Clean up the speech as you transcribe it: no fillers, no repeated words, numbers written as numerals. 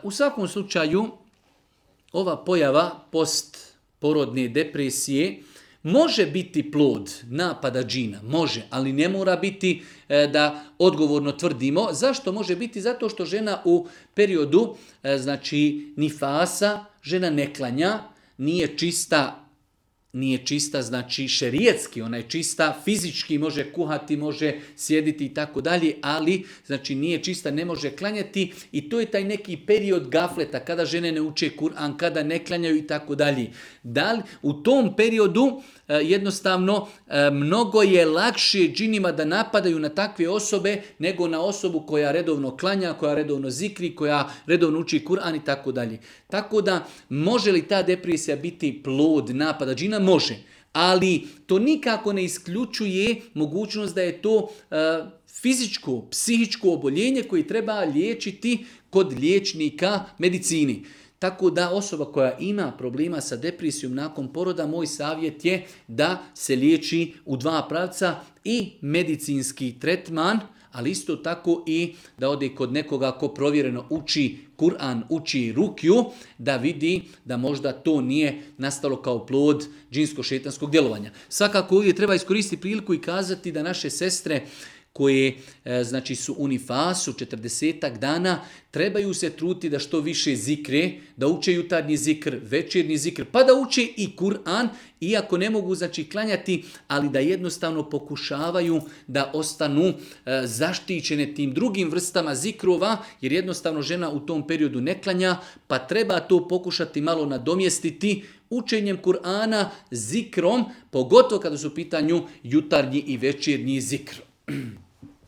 U svakom slučaju, ova pojava postporodne depresije može biti plod napada džina, može, ali ne mora biti da odgovorno tvrdimo. Zašto može biti? Zato što žena u periodu nifasa, žena ne klanja, nije čista znači šerijetski, ona je čista fizički, može kuhati, može sjediti i tako dalje, ali znači nije čista, ne može klanjati i to je taj neki period gafleta kada žene ne uče Kur'an, kada ne klanjaju i tako dalje. U tom periodu jednostavno mnogo je lakše džinima da napadaju na takve osobe nego na osobu koja redovno klanja, koja redovno zikri, koja redovno uči Kur'an i tako dalje. Tako da može li ta depresija biti plod napada džina? Može. Ali to nikako ne isključuje mogućnost da je to fizičko, psihičko oboljenje koje treba liječiti kod liječnika medicini. Tako da osoba koja ima problema sa depresijom nakon poroda, moj savjet je da se liječi u dva pravca i medicinski tretman, ali isto tako i da ode kod nekoga ko provjereno uči Kur'an, uči rukju, da vidi da možda to nije nastalo kao plod džinsko-šetanskog djelovanja. Svakako ovdje treba iskoristiti priliku i kazati da naše sestre koje su u nifasu 40 dana, trebaju se truditi da što više zikre, da uče jutarnji zikr, večernji zikr, pa da uče i Kur'an, iako ne mogu klanjati, ali da jednostavno pokušavaju da ostanu zaštićene tim drugim vrstama zikrova, jer jednostavno žena u tom periodu ne klanja, pa treba to pokušati malo nadomjestiti učenjem Kur'ana, zikrom, pogotovo kada su u pitanju jutarnji i večernji zikr.